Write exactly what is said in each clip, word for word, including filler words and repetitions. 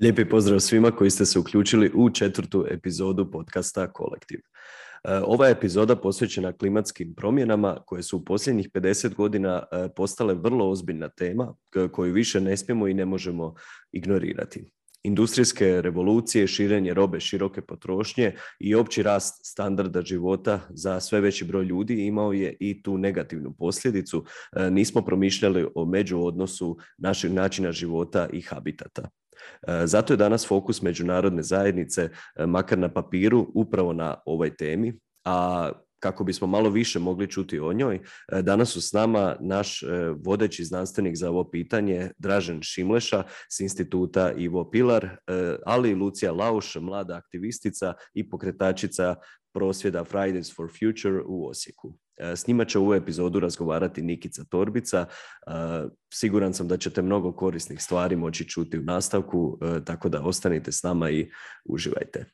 Lijepi pozdrav svima koji ste se uključili u četvrtu epizodu podcasta Kolektiv. Ova epizoda posvećena klimatskim promjenama koje su u posljednjih pedeset godina postale vrlo ozbiljna tema koju više ne smijemo i ne možemo ignorirati. Industrijske revolucije, širenje robe široke potrošnje i opći rast standarda života za sve veći broj ljudi imao je i tu negativnu posljedicu. Nismo promišljali o međuodnosu našeg načina života i habitata. Zato je danas fokus međunarodne zajednice, makar na papiru, upravo na ovoj temi, a kako bismo malo više mogli čuti o njoj, danas su s nama naš vodeći znanstvenik za ovo pitanje, Dražen Šimleša s instituta Ivo Pilar, ali i Lucija Lauš, mlada aktivistica i pokretačica prosvjeda Fridays for Future u Osijeku. S njima će u ovu epizodu razgovarati Nikica Torbica. Siguran sam da ćete mnogo korisnih stvari moći čuti u nastavku, tako da ostanite s nama i uživajte.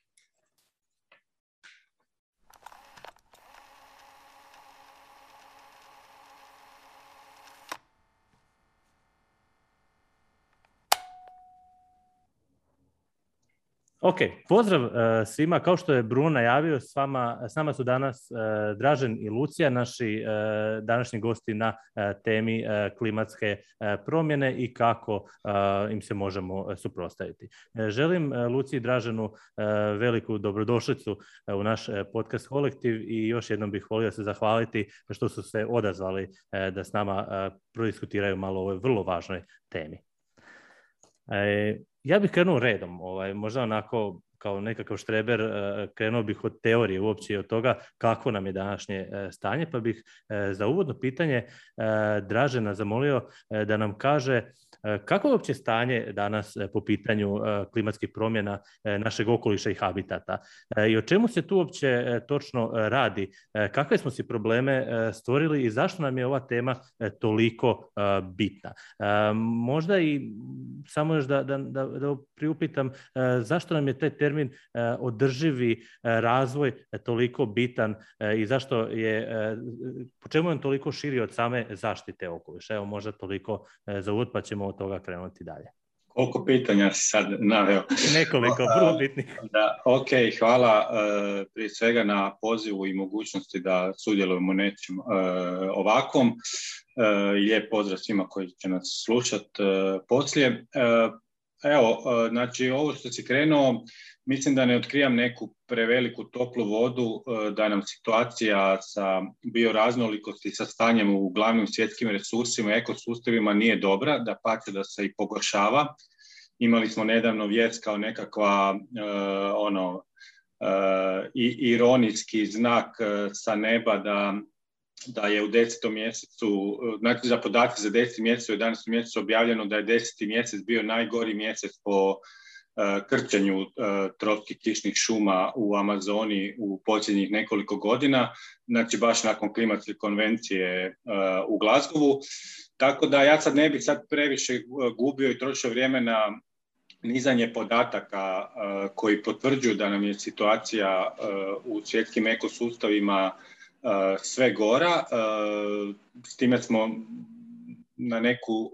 Ok, pozdrav uh, svima. Kao što je Bruno najavio, s, vama, s nama su danas uh, Dražen i Lucija, naši uh, današnji gosti na uh, temi uh, klimatske uh, promjene i kako uh, im se možemo suprotstaviti. Uh, želim uh, Luciji i Draženu uh, veliku dobrodošlicu uh, u naš uh, podcast Kolektiv i još jednom bih volio se zahvaliti što su se odazvali uh, da s nama uh, prodiskutiraju malo o ovoj vrlo važnoj temi. Uh, Ja bih krenuo redom, ovaj, možda onako kao nekakav štreber, krenuo bih od teorije uopće i od toga kako nam je današnje stanje, pa bih za uvodno pitanje Dražena zamolio da nam kaže kako je uopće stanje danas po pitanju klimatskih promjena našeg okoliša i habitata i o čemu se tu uopće točno radi, kakve smo si probleme stvorili i zašto nam je ova tema toliko bitna. Možda i samo još da, da, da, da priupitam zašto nam je taj termin održivi razvoj toliko bitan i zašto je, po čemu je on toliko širi od same zaštite okoliša. Evo možda toliko za uvod pa ćemo od toga krenuti dalje. Koliko pitanja si sad naveo? Nekoliko, vrlo bitnih. Da, ok, hvala uh, prije svega na pozivu i mogućnosti da sudjelujemo u nečem uh, ovakvom. Uh, lijep pozdrav svima koji će nas slušati uh, poslije. Uh, evo, uh, znači ovo što si krenuo, mislim da ne otkrivam neku preveliku toplu vodu, da nam situacija sa bioraznolikosti, sa stanjem u glavnim svjetskim resursima, ekosustavima nije dobra, da pače da se i pogoršava. Imali smo nedavno vijest kao nekakva uh, ono, uh, i, ironijski znak uh, sa neba da, da je u desetom mjesecu, znači za podatke za deseti mjesec, u jedanaestom mjesecu objavljeno da je deseti mjesec bio najgori mjesec po krčenju uh, tropskih kišnih šuma u Amazoni u posljednjih nekoliko godina, znači baš nakon klimatske konvencije uh, u Glasgowu. Tako da ja sad ne bih sad previše gubio i trošio vrijeme na nizanje podataka uh, koji potvrđuju da nam je situacija uh, u svjetskim ekosustavima uh, sve gora. Uh, s time smo na neku,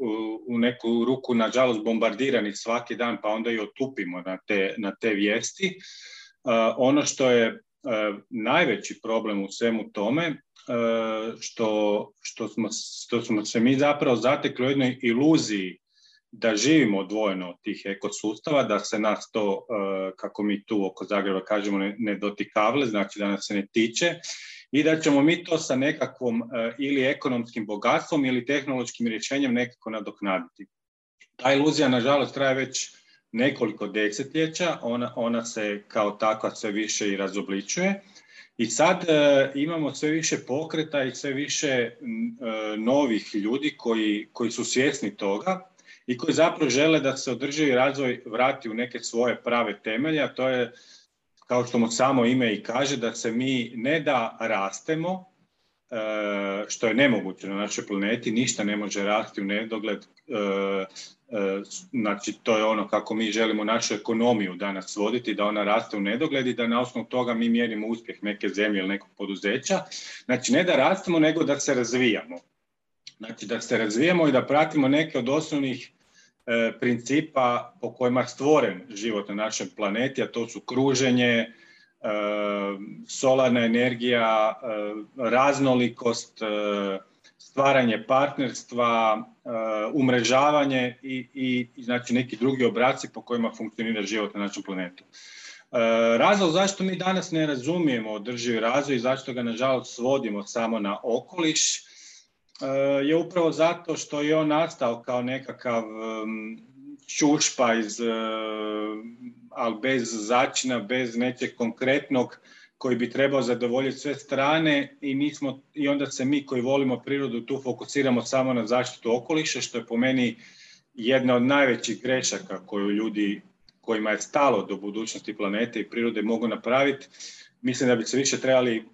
u neku ruku, nažalost, bombardirani svaki dan, pa onda i otupimo na te, na te vijesti. Uh, ono što je uh, najveći problem u svemu tome, uh, što, što, smo, što smo se mi zapravo zatekli u jednoj iluziji da živimo odvojeno od tih ekosustava, da se nas to, uh, kako mi tu oko Zagreba kažemo, ne, ne dotikavle, znači da nas se ne tiče, i da ćemo mi to sa nekakvom uh, ili ekonomskim bogatstvom ili tehnološkim rješenjem nekako nadoknaditi. Ta iluzija, nažalost, traje već nekoliko desetljeća, ona, ona se kao takva sve više i razobličuje. I sad uh, imamo sve više pokreta i sve više uh, novih ljudi koji, koji su svjesni toga i koji zapravo žele da se održivi razvoj vrati u neke svoje prave temelje, a to je, kao što mu samo ime i kaže, da se mi ne da rastemo, što je nemoguće na našoj planeti, ništa ne može rasti u nedogled, znači to je ono kako mi želimo našu ekonomiju danas voditi, da ona raste u nedogled i da na osnovu toga mi mjerimo uspjeh neke zemlje ili nekog poduzeća. Znači ne da rastemo, nego da se razvijamo. Znači da se razvijamo i da pratimo neke od osnovnih principa po kojima je stvoren život na našem planeti, a to su kruženje, solarna energija, raznolikost, stvaranje partnerstva, umrežavanje i, i znači neki drugi obraci po kojima funkcionira život na našem planetu. Razlog zašto mi danas ne razumijemo održivi razvoj i zašto ga nažalost svodimo samo na okoliš je upravo zato što je on nastao kao nekakav čušpa iz, ali bez začina, bez nečeg konkretnog koji bi trebao zadovoljiti sve strane i, nismo, i onda se mi koji volimo prirodu tu fokusiramo samo na zaštitu okoliša, što je po meni jedna od najvećih grešaka koju ljudi kojima je stalo do budućnosti planete i prirode mogu napraviti. Mislim da bi se više trebali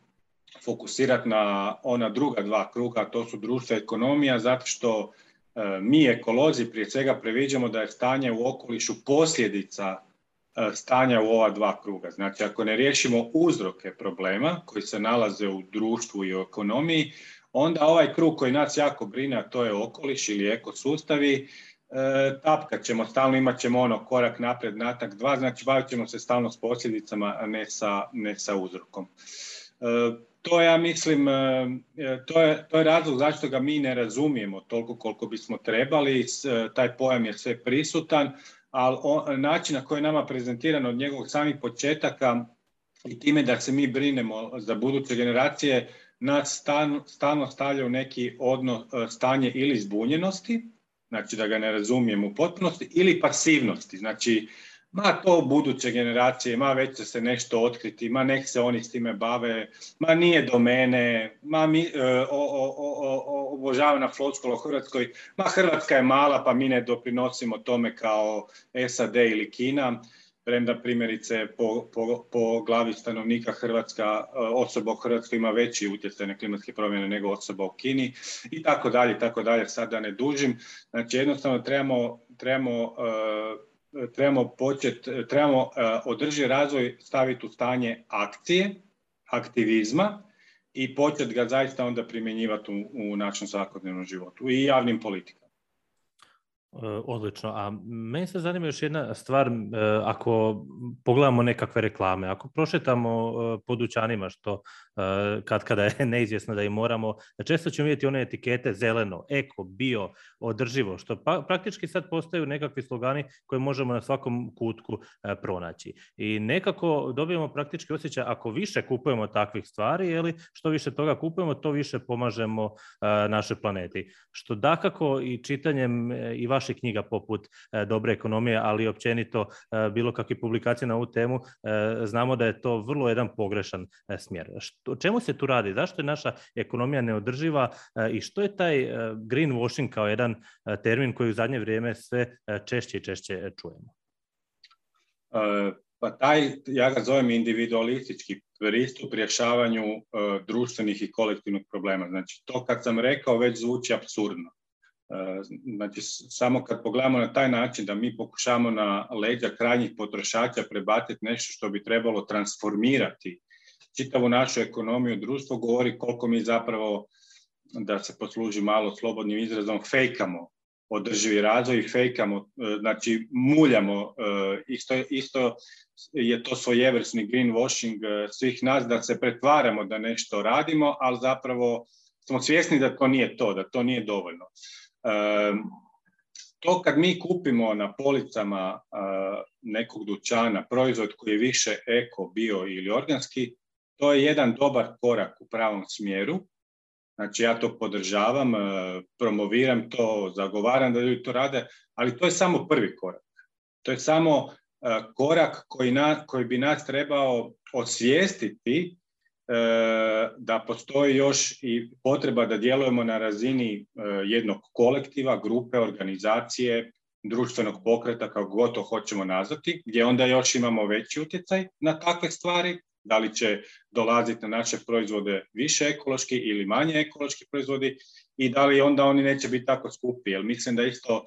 fokusirati na ona druga dva kruga, to su društvo i ekonomija, zato što e, mi ekolozi prije svega previđamo da je stanje u okolišu posljedica e, stanja u ova dva kruga. Znači, ako ne riješimo uzroke problema koji se nalaze u društvu i u ekonomiji, onda ovaj krug koji nas jako brine, a to je okoliš ili ekosustavi, E, tapkat ćemo, stalno imat ćemo ono korak napred, natak dva, znači bavit ćemo se stalno s posljedicama, a ne sa, ne sa uzrokom. E, to ja mislim, e, to, je, to je razlog zašto ga mi ne razumijemo toliko koliko bismo trebali, s, taj pojam je sve prisutan, ali on, način na koji je nama prezentiran od njegovog samih početaka i time da se mi brinemo za buduće generacije, nas stalno, stalno stavlja u neki odnos, stanje ili zbunjenosti, znači da ga ne razumijemo u potpunosti, ili pasivnosti, znači ma to buduće generacije, ma već će se nešto otkriti, ma nek se oni s time bave, ma nije do mene, ma mi, o, o, o, obožavana floskula u Hrvatskoj, ma Hrvatska je mala pa mi ne doprinosimo tome kao S A D ili Kina, premda primjerice po, po, po glavi stanovnika Hrvatska, osoba u Hrvatskoj ima veći utjecaj na klimatske promjene nego osoba u Kini i tako dalje, tako dalje, sad da ne dužim. Znači jednostavno trebamo, trebamo, uh, trebamo početi, trebamo uh, održivi razvoj staviti u stanje akcije, aktivizma i početi ga zaista onda primjenjivati u, u našem svakodnevnom životu i javnim politikama. Odlično, a meni se zanima još jedna stvar, ako pogledamo nekakve reklame, ako prošetamo po dućanima, što kad kada je neizvjesno da i moramo, često ćemo vidjeti one etikete zeleno, eko, bio, održivo, što pa, praktički sad postaju nekakvi slogani koje možemo na svakom kutku pronaći. I nekako dobijemo praktički osjećaj, ako više kupujemo takvih stvari, ili što više toga kupujemo, to više pomažemo našoj planeti. Što dakako i čitanjem i vaših knjiga poput e, Dobre ekonomije, ali općenito e, bilo kakve publikacije na ovu temu, e, znamo da je to vrlo jedan pogrešan e, smjer. Što, o čemu se tu radi? Zašto je naša ekonomija neodrživa e, i što je taj e, greenwashing kao jedan e, termin koji u zadnje vrijeme sve e, češće i češće čujemo? E, pa taj, ja ga zovem individualistički pristup rješavanju e, društvenih i kolektivnih problema. Znači, to kad sam rekao već zvuči apsurdno. Znači, samo kad pogledamo na taj način da mi pokušamo na leđa krajnjih potrošača prebaciti nešto što bi trebalo transformirati čitavu našu ekonomiju, društvo, govori koliko mi zapravo, da se posluži malo slobodnim izrazom, fejkamo održivi razvoj i fejkamo, znači muljamo, isto, isto je to svojevrsni greenwashing svih nas, da se pretvaramo da nešto radimo, ali zapravo smo svjesni da to nije to, da to nije dovoljno. To kad mi kupimo na policama nekog dućana proizvod koji je više eko, bio ili organski, to je jedan dobar korak u pravom smjeru. Znači ja to podržavam, promoviram to, zagovaram da ljudi to rade, ali to je samo prvi korak. To je samo korak koji, na, koji bi nas trebao osvijestiti da postoji još i potreba da djelujemo na razini jednog kolektiva, grupe, organizacije, društvenog pokreta, kako god to hoćemo nazvati, gdje onda još imamo veći utjecaj na takve stvari, da li će dolaziti na naše proizvode više ekološki ili manje ekološki proizvodi i da li onda oni neće biti tako skupi. Jer mislim da isto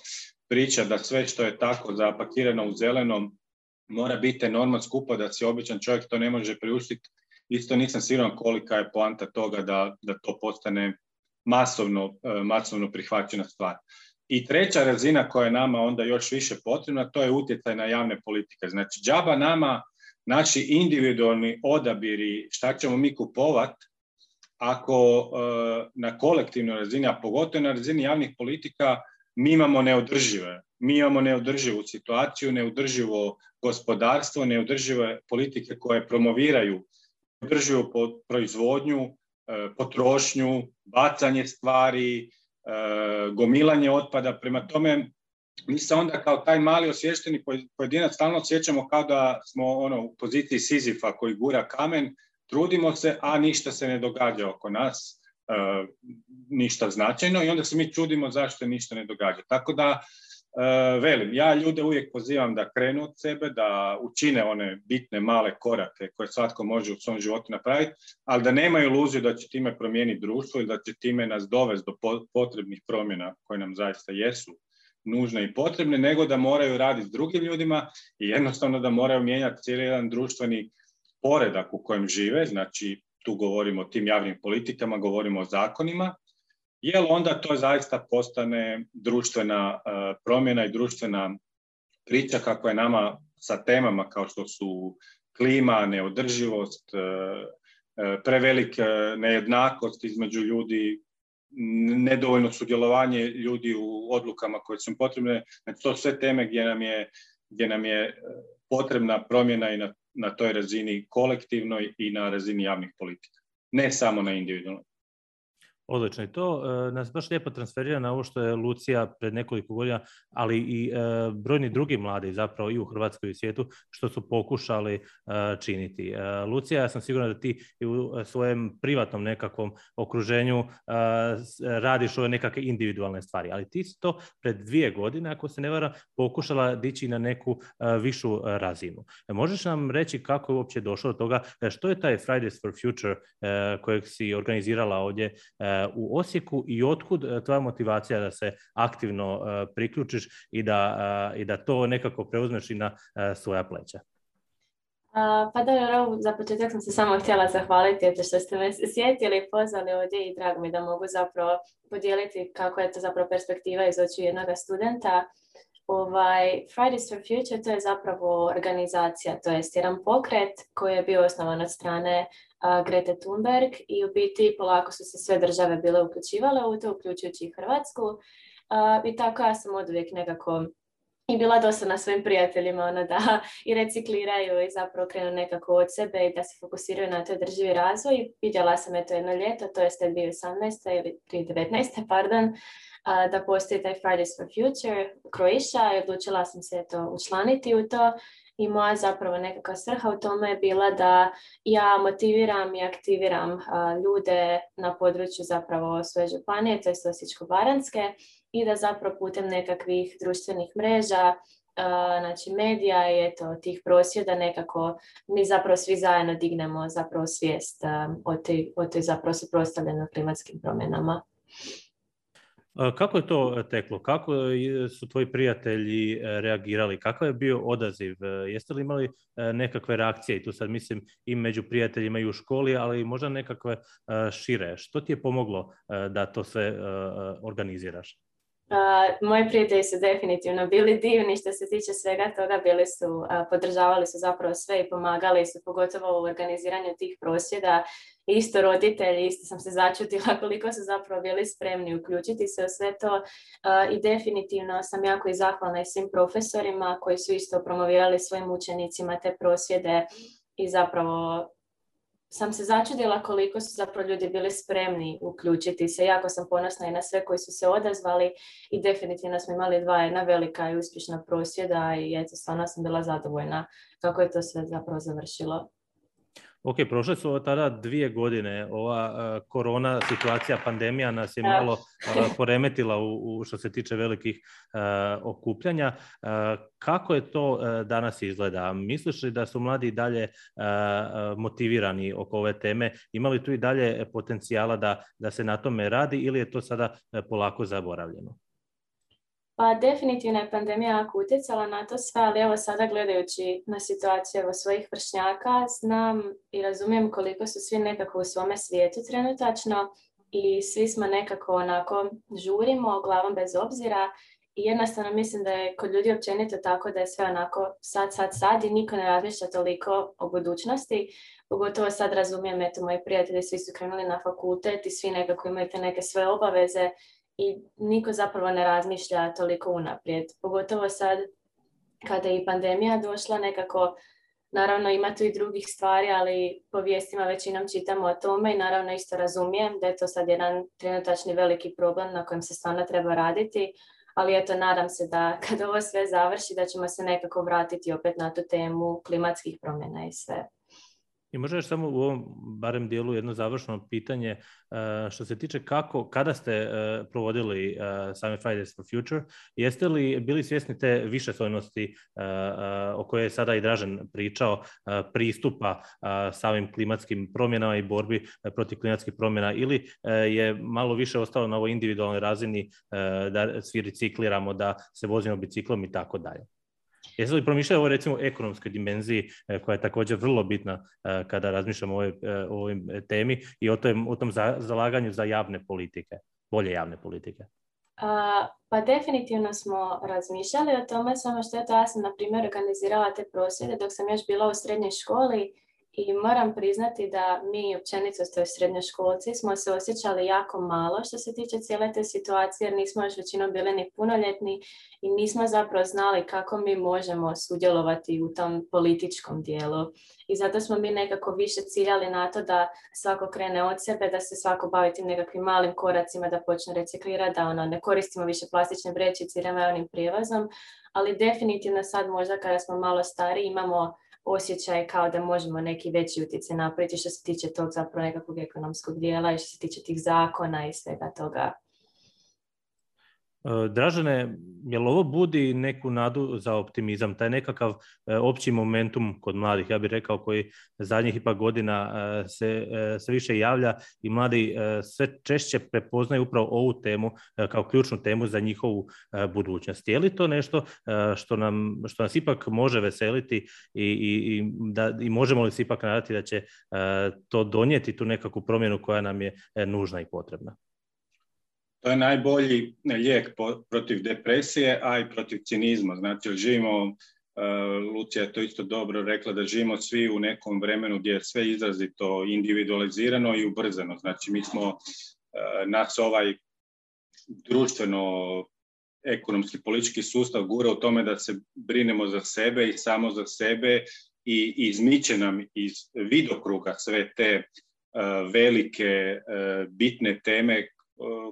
priča da sve što je tako zapakirano u zelenom mora biti enormno skupo, da si običan čovjek to ne može priuštiti. Isto nisam siguran kolika je poanta toga da, da to postane masovno, masovno prihvaćena stvar. I treća razina koja je nama onda još više potrebna, to je utjecaj na javne politike. Znači, džaba nama naši individualni odabiri šta ćemo mi kupovati ako na kolektivnoj razini, a pogotovo na razini javnih politika, mi imamo neodržive. Mi imamo neodrživu situaciju, neodrživo gospodarstvo, neodržive politike koje promoviraju neodrživu proizvodnju, potrošnju, bacanje stvari, gomilanje otpada. Prema tome, mi se onda kao taj mali osviješteni pojedinac stalno osjećamo kao da smo ono, u poziciji Sizifa koji gura kamen, trudimo se, a ništa se ne događa oko nas, e, ništa značajno i onda se mi čudimo zašto ništa ne događa. Tako da, e, velim, ja ljude uvijek pozivam da krenu od sebe, da učine one bitne male korake koje svatko može u svom životu napraviti, ali da nemaju iluziju da će time promijeniti društvo i da će time nas dovesti do potrebnih promjena koje nam zaista jesu nužne i potrebne, nego da moraju raditi s drugim ljudima i jednostavno da moraju mijenjati cijeli jedan društveni poredak u kojem žive, znači tu govorimo o tim javnim politikama, govorimo o zakonima, jer onda to zaista postane društvena uh, promjena i društvena priča kako je nama sa temama kao što su klima, neodrživost, uh, uh, prevelika nejednakost između ljudi, nedovoljno sudjelovanje ljudi u odlukama koje su potrebne. Znači, to su sve teme gdje nam je, gdje nam je potrebna promjena i na, na toj razini kolektivnoj i na razini javnih politika. Ne samo na individualnoj. Odlično. I to e, nas baš lijepo transferira na ovo što je Lucija pred nekoliko godina, ali i e, brojni drugi mladi zapravo i u Hrvatskoj i u svijetu, što su pokušali e, činiti. E, Lucija, ja sam siguran da ti i u svojem privatnom nekakvom okruženju e, radiš ove nekakve individualne stvari, ali ti si to pred dvije godine, ako se ne vara, pokušala dići na neku e, višu razinu. E, možeš nam reći kako je uopće došlo do toga, e, što je taj Fridays for Future e, kojeg si organizirala ovdje e, u Osijeku i otkud tvoja motivacija da se aktivno uh, priključiš i da, uh, i da to nekako preuzmeš i na uh, svoja pleća? Uh, pa da, za početak sam se samo htjela zahvaliti eto što ste me sjetili i pozvali ovdje i drago mi da mogu zapravo podijeliti kako je to zapravo perspektiva iz očiju jednog studenta. Ovaj, Fridays for Future to je zapravo organizacija, to jest jedan pokret koji je bio osnovan od strane uh, Grete Thunberg i u biti polako su se sve države bile uključivale u to, uključujući i Hrvatsku. Uh, I tako ja sam oduvijek nekako i bila dosadna svojim prijateljima ono, da i recikliraju i zapravo krenu nekako od sebe i da se fokusiraju na to održivi razvoj. Vidjela sam eto jedno ljeto, to je dvije tisuće osamnaeste ili dvije tisuće devetnaeste, pardon, uh, da postoji taj Fridays for Future Croatia i odlučila sam se eto učlaniti u to. I moja zapravo nekakva svrha u tome je bila da ja motiviram i aktiviram uh, ljude na području zapravo svoje županije, to je Osječko-baranjske, i da zapravo putem nekakvih društvenih mreža, uh, znači medija i eto tih prosvjeda nekako mi zapravo svi zajedno dignemo zapravo svijest uh, o toj, o toj zapravo suprotstavljenoj klimatskim promjenama. Kako je to teklo? Kako su tvoji prijatelji reagirali? Kakav je bio odaziv? Jeste li imali nekakve reakcije? I tu sad mislim i među prijateljima i u školi, ali i možda nekakve šire. Što ti je pomoglo da to sve organiziraš? Uh, moji prijatelji su definitivno bili divni što se tiče svega toga, bili su, uh, podržavali su zapravo sve i pomagali su, pogotovo u organiziranju tih prosvjeda. Isto roditelji, isto sam se začutila koliko su zapravo bili spremni uključiti se u sve to uh, i definitivno sam jako i zahvalna i svim profesorima koji su isto promovirali svojim učenicima te prosvjede i zapravo sam se začudila koliko su zapravo ljudi bili spremni uključiti se. Jako sam ponosna i na sve koji su se odazvali i definitivno smo imali dva jedna velika i uspješna prosvjeda i eto, stvarno sam bila zadovoljna kako je to sve zapravo završilo. Ok, prošle su tada dvije godine, ova uh, korona situacija, pandemija nas je malo uh, poremetila u, u što se tiče velikih uh, okupljanja. Uh, kako je to uh, danas izgleda? Misliš li da su mladi dalje uh, motivirani oko ove teme? Ima li tu i dalje potencijala da, da se na tome radi ili je to sada uh, polako zaboravljeno? Pa definitivno je pandemija jako utjecala na to sve, ali evo sada gledajući na situaciju evo, svojih vršnjaka, znam i razumijem koliko su svi nekako u svome svijetu trenutačno i svi smo nekako onako žurimo glavom bez obzira i jednostavno mislim da je kod ljudi općenito tako da je sve onako sad, sad, sad i niko ne razmišlja toliko o budućnosti. Pogotovo sad razumijem, eto, moji prijatelji svi su krenuli na fakultet i svi nekako imaju te neke sve obaveze i niko zapravo ne razmišlja toliko unaprijed. Pogotovo sad kada je i pandemija došla nekako, naravno ima tu i drugih stvari, ali po vijestima većinom čitamo o tome i naravno isto razumijem da je to sad jedan trenutačni veliki problem na kojem se stvarno treba raditi, ali eto, nadam se da kad ovo sve završi da ćemo se nekako vratiti opet na tu temu klimatskih promjena i sve. I možda još samo u ovom barem dijelu jedno završno pitanje što se tiče kako, kada ste provodili sami Fridays for Future, jeste li bili svjesni te višeslojnosti o kojoj je sada i Dražen pričao, pristupa samim klimatskim promjenama i borbi protiv klimatskih promjena, ili je malo više ostalo na ovoj individualnoj razini da svi recikliramo, da se vozimo biciklom i tako dalje? Jeste li promišljali o recimo ekonomskoj dimenziji koja je također vrlo bitna kada razmišljamo o ovoj, o ovoj temi i o tom, o tom zalaganju za javne politike, bolje javne politike? A, pa definitivno smo razmišljali o tome, samo što je to, ja sam na primjer organizirala te prosvjede dok sam još bila u srednjoj školi i moram priznati da mi općenito u srednjoškolci smo se osjećali jako malo što se tiče cijele te situacije, jer nismo još većinom bili ni punoljetni i nismo zapravo znali kako mi možemo sudjelovati u tom političkom dijelu. I zato smo mi nekako više ciljali na to da svako krene od sebe, da se svako bavi tim nekakvim malim koracima, da počne reciklirati, da ono, ne koristimo više plastične vrećice i javnim prijevozom, ali definitivno sad možda kada smo malo stariji imamo osjećaj kao da možemo neki veći utjecaj napraviti što se tiče tog zapravo nekakvog ekonomskog dijela i što se tiče tih zakona i svega toga. Dražene, je li ovo budi neku nadu za optimizam, taj nekakav opći momentum kod mladih, ja bih rekao, koji zadnjih ipak godina se, se više javlja i mladi sve češće prepoznaju upravo ovu temu kao ključnu temu za njihovu budućnost. Je li to nešto što, nam, što nas ipak može veseliti i, i, i, da, i možemo li se ipak nadati da će to donijeti tu nekakvu promjenu koja nam je nužna i potrebna? To je najbolji lijek protiv depresije, a i protiv cinizma. Znači, živimo, uh, Lucija je to isto dobro rekla, da živimo svi u nekom vremenu gdje je sve izrazito individualizirano i ubrzano. Znači, mi smo, uh, nas ovaj društveno, ekonomski, politički sustav gura u tome da se brinemo za sebe i samo za sebe i izmiče nam iz vidokruga sve te uh, velike, uh, bitne teme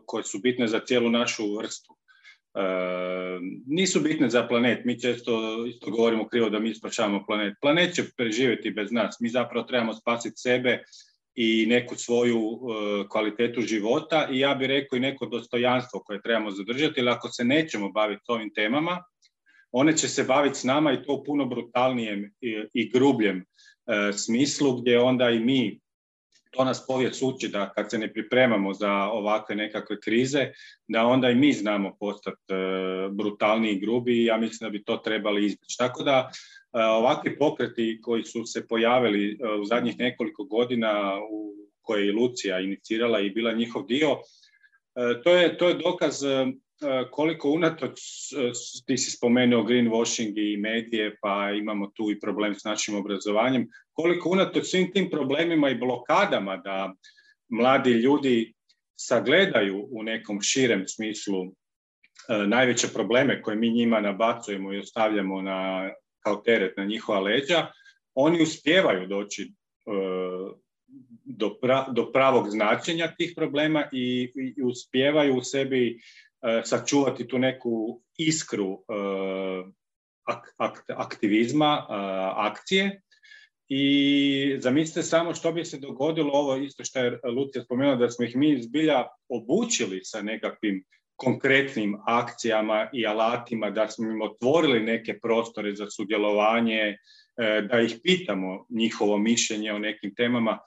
koje su bitne za cijelu našu vrstu. E, nisu bitne za planet. Mi često isto govorimo krivo da mi spašavamo planet. Planet će preživjeti bez nas. Mi zapravo trebamo spasiti sebe i neku svoju e, kvalitetu života i ja bih rekao i neko dostojanstvo koje trebamo zadržati, jer ako se nećemo baviti ovim temama, one će se baviti s nama i to u puno brutalnijem i, i grubljem e, smislu, gdje onda i mi, to nas povijest uči da kad se ne pripremamo za ovakve nekakve krize, da onda i mi znamo postati e, brutalniji i grubi i ja mislim da bi to trebali izbjeći. Tako da e, ovakvi pokreti koji su se pojavili e, u zadnjih nekoliko godina, u koje je Lucija inicirala i bila njihov dio, e, to je, to je dokaz e, koliko unatoč, ti si spomenuo greenwashing i medije, pa imamo tu i problem s našim obrazovanjem, koliko unatoč svim tim problemima i blokadama da mladi ljudi sagledaju u nekom širem smislu e, najveće probleme koje mi njima nabacujemo i ostavljamo na, kao teret na njihova leđa, oni uspijevaju doći e, do, pra, do pravog značenja tih problema i, i uspijevaju u sebi sačuvati tu neku iskru uh, ak, ak, aktivizma, uh, akcije. I zamislite samo što bi se dogodilo, ovo isto što je Lucija spomenula, da smo ih mi zbilja obučili sa nekakvim konkretnim akcijama i alatima, da smo im otvorili neke prostore za sudjelovanje, uh, da ih pitamo njihovo mišljenje o nekim temama.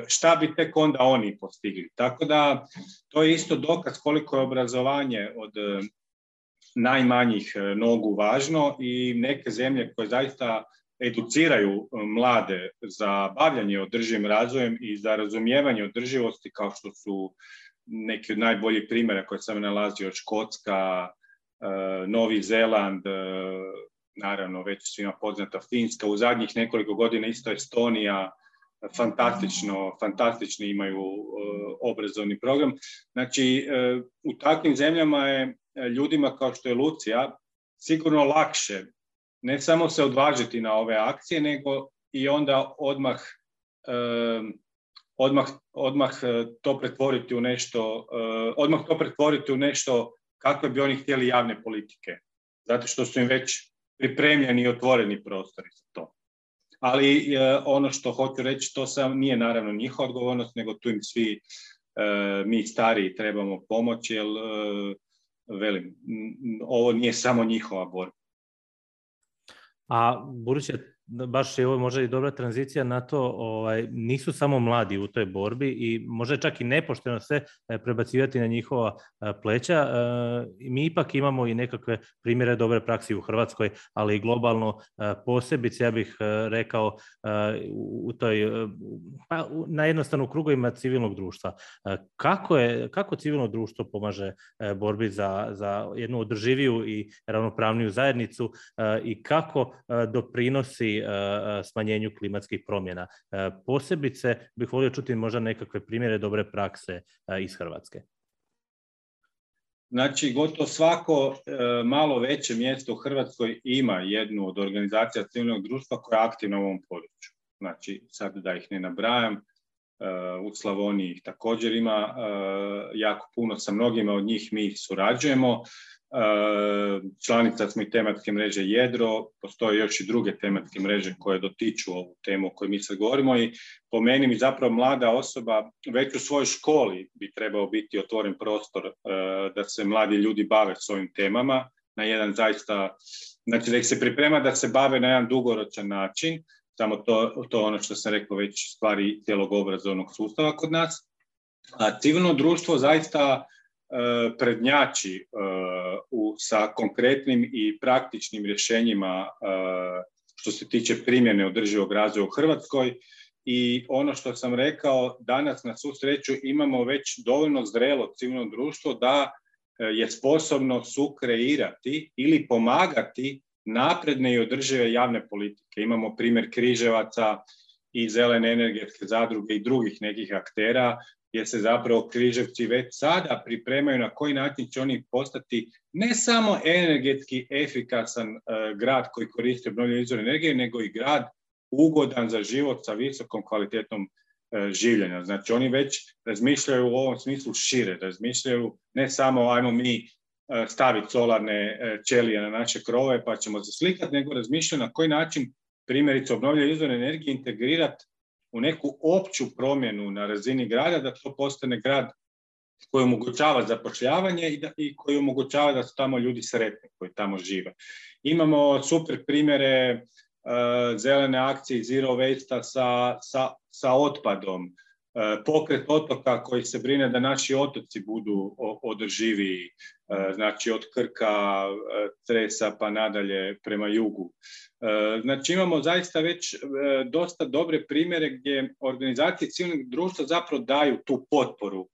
Šta bi tek onda oni postigli. Tako da to je isto dokaz koliko je obrazovanje od najmanjih nogu važno i neke zemlje koje zaista educiraju mlade za bavljanje održivim razvojem i za razumijevanje održivosti, kao što su neki od najboljih primjera koje sam nalazio, Škotska, Novi Zeland, naravno već svima poznata Finska, u zadnjih nekoliko godina isto Estonija, fantastično, fantastični imaju obrazovni program. Znači, u takvim zemljama je ljudima kao što je Lucija sigurno lakše ne samo se odvažiti na ove akcije, nego i onda odmah, odmah, odmah to pretvoriti u nešto, odmah to pretvoriti u nešto kakve bi oni htjeli javne politike, zato što su im već pripremljeni i otvoreni prostori za to. Ali ono što hoću reći, to sam nije naravno njihova odgovornost, nego tu im svi mi stariji trebamo pomoći, jer velim, ovo nije samo njihova borba. A budući baš je ovo možda i dobra tranzicija na to, ovaj, nisu samo mladi u toj borbi i možda čak i nepošteno se prebacivati na njihova pleća. E, mi ipak imamo i nekakve primjere dobre praksi u Hrvatskoj, ali i globalno, posebice, ja bih rekao, u toj, pa, na jednostavno u krugovima civilnog društva. Kako, je, kako civilno društvo pomaže borbi za, za jednu održiviju i ravnopravniju zajednicu i kako doprinosi smanjenju klimatskih promjena? Posebice bih volio čuti možda nekakve primjere dobre prakse iz Hrvatske. Znači, gotovo svako malo veće mjesto u Hrvatskoj ima jednu od organizacija civilnog društva koja je aktivna u ovom području. Znači, sad da ih ne nabrajam, u Slavoniji ih također ima jako puno, sa mnogima od njih mi surađujemo. Članica smo i tematske mreže Jedro, postoje još i druge tematske mreže koje dotiču ovu temu o kojoj mi sad govorimo i po meni mi zapravo mlada osoba već u svojoj školi bi trebao biti otvoren prostor da se mladi ljudi bave s ovim temama na jedan zaista, znači da ih se priprema da se bave na jedan dugoročan način, samo to, to ono što sam rekao već stvari cijelog obrazovnog sustava kod nas. A civilno društvo zaista prednjači uh, sa konkretnim i praktičnim rješenjima uh, što se tiče primjene održivog razvoja u Hrvatskoj i ono što sam rekao, danas na svu sreću imamo već dovoljno zrelo civilno društvo da uh, je sposobno sukreirati ili pomagati napredne i održive javne politike. Imamo primjer Križevaca i Zelene energetske zadruge i drugih nekih aktera gdje se zapravo Križevci već sada pripremaju na koji način će oni postati ne samo energetski efikasan uh, grad koji koristi obnovljive izvore energije, nego i grad ugodan za život sa visokom kvalitetom uh, življenja. Znači oni već razmišljaju u ovom smislu šire, razmišljaju ne samo ajmo mi uh, staviti solarne uh, ćelije na naše krovove pa ćemo se slikati, nego razmišljaju na koji način primjerice obnovljive izvore energije integrirati u neku opću promjenu na razini grada, da to postane grad koji omogućava zapošljavanje i, da, i koji omogućava da su tamo ljudi sretni koji tamo žive. Imamo super primjere uh, zelene akcije Zero Waste sa, sa, sa otpadom, uh, pokret otoka koji se brine da naši otoci budu održiviji, uh, znači od Krka, uh, Cresa pa nadalje prema jugu. Znači imamo zaista već dosta dobre primjere gdje organizacije civilnog društva zapravo daju tu potporu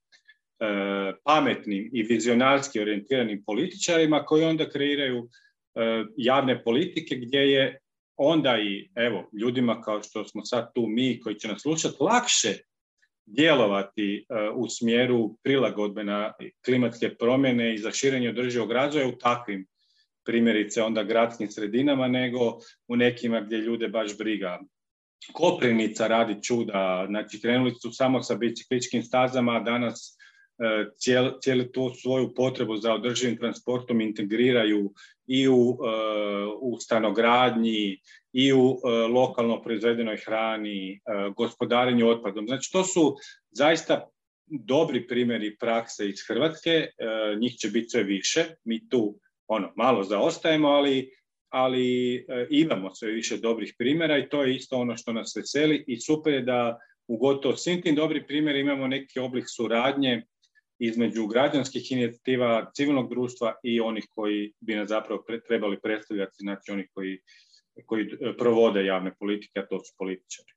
pametnim i vizionarski orijentiranim političarima koji onda kreiraju javne politike gdje je onda i evo ljudima kao što smo sad tu mi koji će nas slušati lakše djelovati u smjeru prilagodbe na klimatske promjene i za širenje održivog razvoja u takvim primjerice onda gradskim sredinama, nego u nekima gdje ljude baš briga. Koprivnica radi čuda, znači krenuli su samo sa bicikličkim stazama, a danas cijel, cijelu tu svoju potrebu za održivim transportom integriraju i u, u stanogradnji, i u lokalno proizvedenoj hrani, gospodarenju otpadom. Znači to su zaista dobri primjeri prakse iz Hrvatske, njih će biti sve više, mi tu ono, malo zaostajemo, ali, ali e, imamo sve više dobrih primjera i to je isto ono što nas veseli i super je da u gotovo svim tim dobrim primjerima imamo neki oblik suradnje između građanskih inicijativa, civilnog društva i onih koji bi nas zapravo pre, trebali predstavljati, znači onih koji, koji provode javne politike, a to su političari.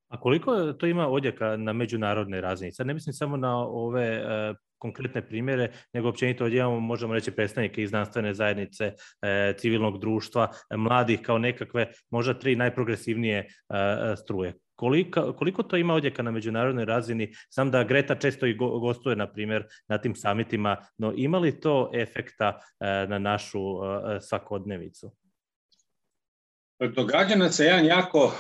A koliko to ima odjeka na međunarodnoj razini? Sad ne mislim samo na ove e, konkretne primjere, nego općenito ovdje imamo, možemo reći, predstavnike iz znanstvene zajednice, e, civilnog društva, e, mladih kao nekakve, možda tri najprogresivnije e, struje. Koliko, koliko to ima odjeka na međunarodnoj razini? Znam da Greta često i go, gostuje, na primjer, na tim samitima, no ima li to efekta e, na našu e, svakodnevicu? Događa nam se jedan jako uh,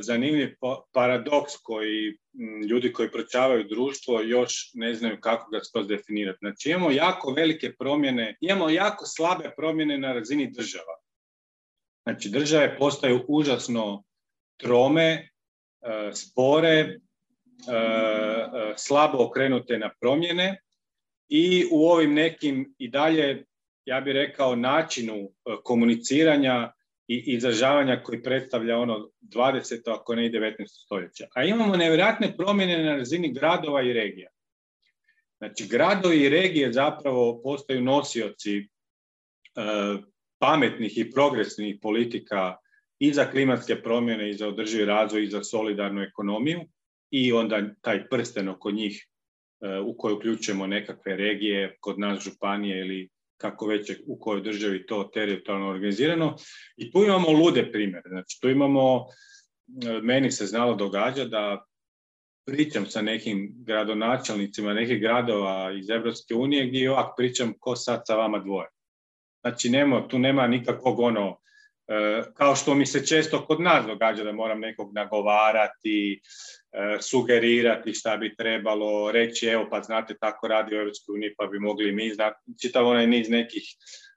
zanimljiv paradoks koji m, ljudi koji proučavaju društvo još ne znaju kako ga skroz definirati. Znači imamo jako velike promjene, imamo jako slabe promjene na razini država. Znači države postaju užasno trome, uh, spore, uh, uh, slabo okrenute na promjene i u ovim nekim i dalje, ja bih rekao, načinu uh, komuniciranja i izražavanja koji predstavlja ono dvadeseto ako ne i devetnaesto stoljeća. A imamo nevjerojatne promjene na razini gradova i regija. Znači, gradovi i regije zapravo postaju nosioci e, pametnih i progresivnih politika i za klimatske promjene, i za održivi razvoj, i za solidarnu ekonomiju, i onda taj prsten oko njih e, u koji uključujemo nekakve regije, kod nas županije ili kako već je u kojoj državi to teritorijalno organizirano. I tu imamo lude primjere. Znači, tu imamo, meni se znalo događa da pričam sa nekim gradonačelnicima nekih gradova iz Europske unije gdje ovak pričam ko sad sa vama dvoje. Znači, nema, tu nema nikakvog ono, kao što mi se često kod nas događa da moram nekog nagovarati, sugerirati šta bi trebalo, reći evo pa znate tako radi u Europskoj uniji pa bi mogli mi znati, čitav onaj niz nekih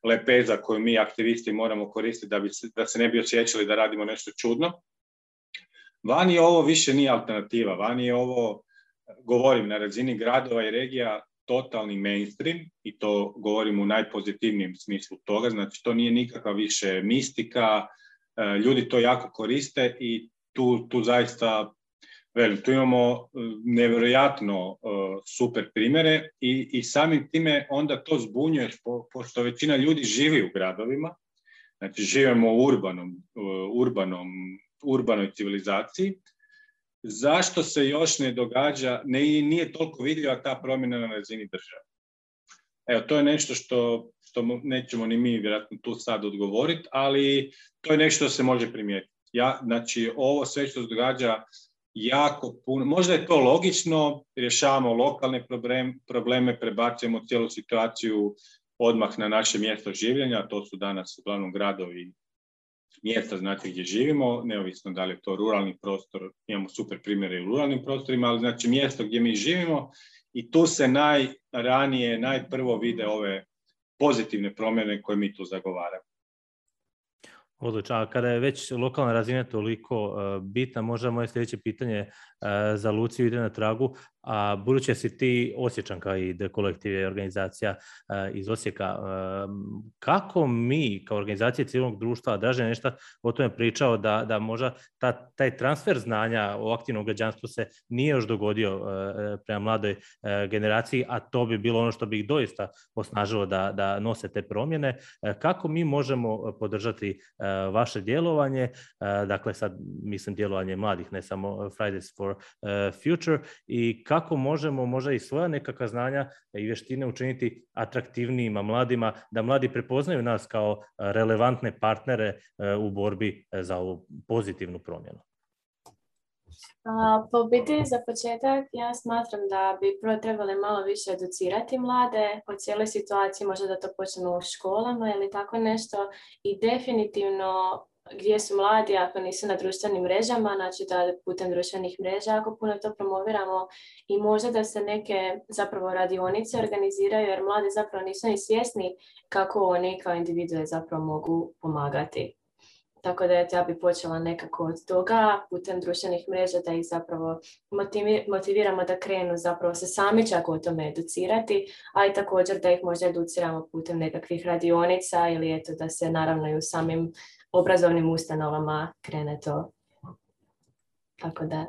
lepeza koje mi aktivisti moramo koristiti da, bi, da se ne bi osjećali da radimo nešto čudno. Vani je ovo više nije alternativa, vani je ovo, govorim na razini gradova i regija, totalni mainstream i to govorim u najpozitivnijem smislu toga, znači to nije nikakva više mistika, ljudi to jako koriste i tu, tu zaista, velim, tu imamo nevjerojatno uh, super primjere i, i samim time onda to zbunjuješ po, pošto većina ljudi živi u gradovima, znači živimo u urbanom, uh, urbanom, urbanoj civilizaciji. Zašto se još ne događa, ne, nije toliko vidljiva ta promjena na razini države? Evo, to je nešto što, što nećemo ni mi vjerojatno tu sad odgovoriti, ali to je nešto što se može primijetiti. Ja, znači, ovo sve što se događa jako puno, možda je to logično, rješavamo lokalne probleme, probleme prebacujemo cijelu situaciju odmah na naše mjesto življenja, to su danas uglavnom gradovi mjesta, znači gdje živimo, neovisno da li je to ruralni prostor, imamo super primjere u ruralnim prostorima, ali znači mjesto gdje mi živimo i tu se najranije, najprvo vide ove pozitivne promjene koje mi tu zagovaramo. Odlično, a kada je već lokalna razina toliko uh, bitna, možda moje sljedeće pitanje uh, za Luciju ide na tragu, a budući si ti Osječanka i The Collective je organizacija uh, iz Osijeka, uh, kako mi kao organizacije civilnog društva, Dražen je nešto o tome pričao, da, da možda ta, taj transfer znanja o aktivnom građanstvu se nije još dogodio uh, prema mladoj uh, generaciji, a to bi bilo ono što bi ih doista osnažilo da, da nose te promjene. Uh, kako mi možemo podržati uh, vaše djelovanje, dakle sad mislim djelovanje mladih, ne samo Fridays for Future, i kako možemo možda i svoja nekakva znanja i vještine učiniti atraktivnijima mladima, da mladi prepoznaju nas kao relevantne partnere u borbi za ovu pozitivnu promjenu? Pa u biti za početak ja smatram da bi prvo trebali malo više educirati mlade o cijeloj situaciji, možda da to počnemo u školama ili tako nešto, i definitivno gdje su mladi ako nisu na društvenim mrežama, znači da putem društvenih mreža ako puno to promoviramo, i možda da se neke zapravo radionice organiziraju jer mladi zapravo nisu ni svjesni kako oni kao individue zapravo mogu pomagati. Tako da ja bi počela nekako od toga putem društvenih mreža da ih zapravo motiviramo da krenu zapravo se sami čak o tome educirati, a i također da ih možda educiramo putem nekakvih radionica ili eto da se naravno i u samim obrazovnim ustanovama krene to. Tako da.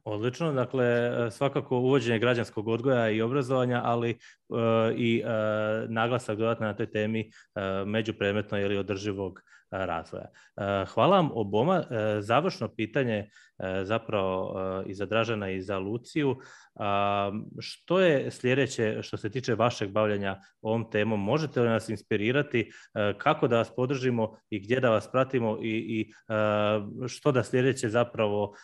Odlično, dakle svakako uvođenje građanskog odgoja i obrazovanja, ali uh, i uh, naglasak dodatno na toj temi uh, međupredmetno ili održivog razvoja. Hvala vam oboma. Završno pitanje zapravo i za Dražena i za Luciju. Što je sljedeće što se tiče vašeg bavljenja ovom temom? Možete li nas inspirirati kako da vas podržimo i gdje da vas pratimo i, i što da sljedeće zapravo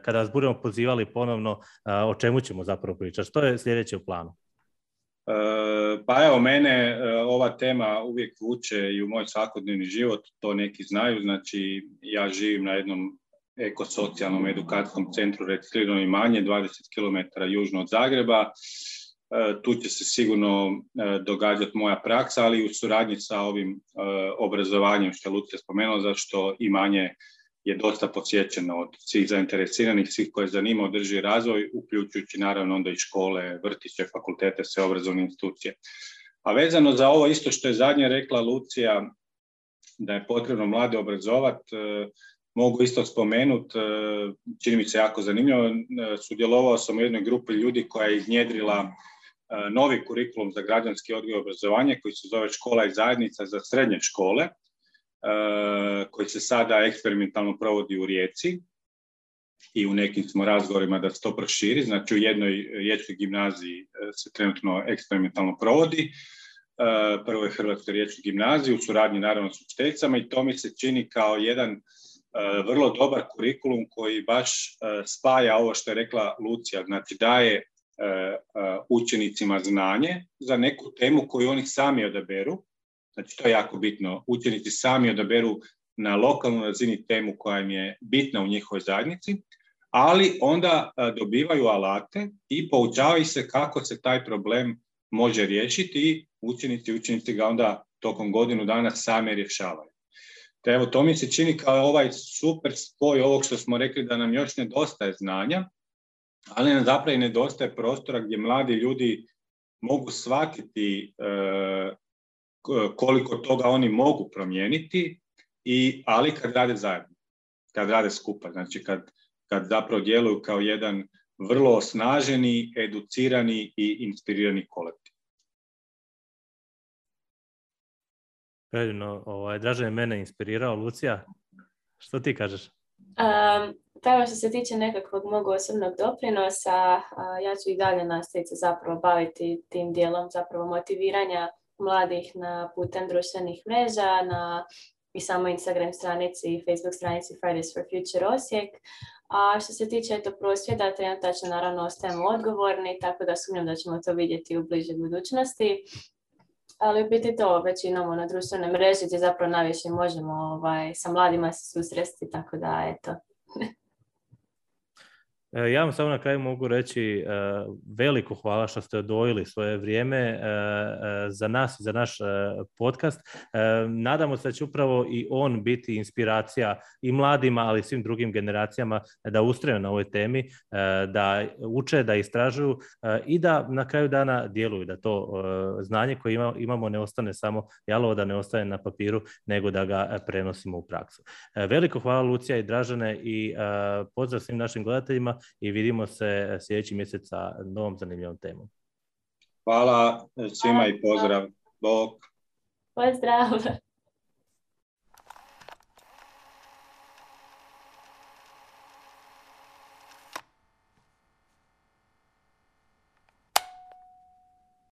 kada vas budemo pozivali ponovno, o čemu ćemo zapravo pričati? Što je sljedeće u planu? Pa evo, mene ova tema uvijek vuče i u moj svakodnevni život, to neki znaju, znači ja živim na jednom ekosocijalnom edukacijskom centru Reciklirano imanje, dvadeset kilometara južno od Zagreba. Tu će se sigurno događati moja praksa, ali i u suradnji sa ovim obrazovanjem što je Lucija spomenula, zašto imanje je dosta posjećeno od svih zainteresiranih, svih koje zanima održivi razvoj, uključujući naravno onda i škole, vrtiće, fakultete, sve obrazovne institucije. A vezano za ovo isto što je zadnje rekla Lucija, da je potrebno mlade obrazovati, mogu isto spomenuti, čini mi se jako zanimljivo, sudjelovao sam u jednoj grupi ljudi koja je iznjedrila novi kurikulum za građanski odgoj i obrazovanje koji se zove Škola i zajednica za srednje škole, koji se sada eksperimentalno provodi u Rijeci i u nekim smo razgovorima da se to proširi, znači u jednoj riječkoj gimnaziji se trenutno eksperimentalno provodi. Prvo je Hrvatskoj riječkoj gimnaziji u suradnji naravno s učiteljicama i to mi se čini kao jedan vrlo dobar kurikulum koji baš spaja ovo što je rekla Lucija, znači daje učenicima znanje za neku temu koju oni sami odaberu. Znači, to je jako bitno. Učenici sami odaberu na lokalnoj razini temu koja im je bitna u njihovoj zajednici, ali onda dobivaju alate i poučavaju se kako se taj problem može riješiti i učenici i učenici ga onda tokom godinu dana sami rješavaju. Te evo, to mi se čini kao ovaj super spoj ovog što smo rekli da nam još nedostaje znanja, ali nam zapravo i nedostaje prostora gdje mladi ljudi mogu shvatiti e, koliko toga oni mogu promijeniti, i, ali kad rade zajedno, kad rade skupa, znači kad, kad zapravo djeluju kao jedan vrlo osnaženi, educirani i inspirirani kolektiv. Predivno, ovaj, Dražen je mene inspirirao. Lucija, što ti kažeš? Um, pa što se tiče nekakvog mog osobnog doprinosa, uh, ja ću i dalje nastaviti zapravo baviti tim dijelom zapravo motiviranja mladih na putem društvenih mreža, na i samo Instagram stranici i Facebook stranici Fridays for Future Osijek. A što se tiče eto, prosvjeda, trenutačno naravno ostajemo odgovorni, tako da sumnjam da ćemo to vidjeti u bližoj budućnosti. Ali u biti to već imamo na društvenoj mreži gdje zapravo najviše možemo ovaj, sa mladima se susresti, tako da eto. Ja vam samo na kraju mogu reći uh, veliko hvala što ste odvojili svoje vrijeme uh, uh, za nas i za naš uh, podcast. Uh, nadamo se da će upravo i on biti inspiracija i mladima, ali i svim drugim generacijama da ustraju na ovoj temi, uh, da uče, da istražuju uh, i da na kraju dana djeluju, da to uh, znanje koje ima, imamo ne ostane samo jalovo, da ne ostane na papiru, nego da ga prenosimo u praksu. Uh, veliko hvala Lucija i Dražene i uh, pozdrav svim našim gledateljima i vidimo se sljedeći mjesec sa novom zanimljivom temom. Hvala svima i pozdrav. Bog. Pozdrav.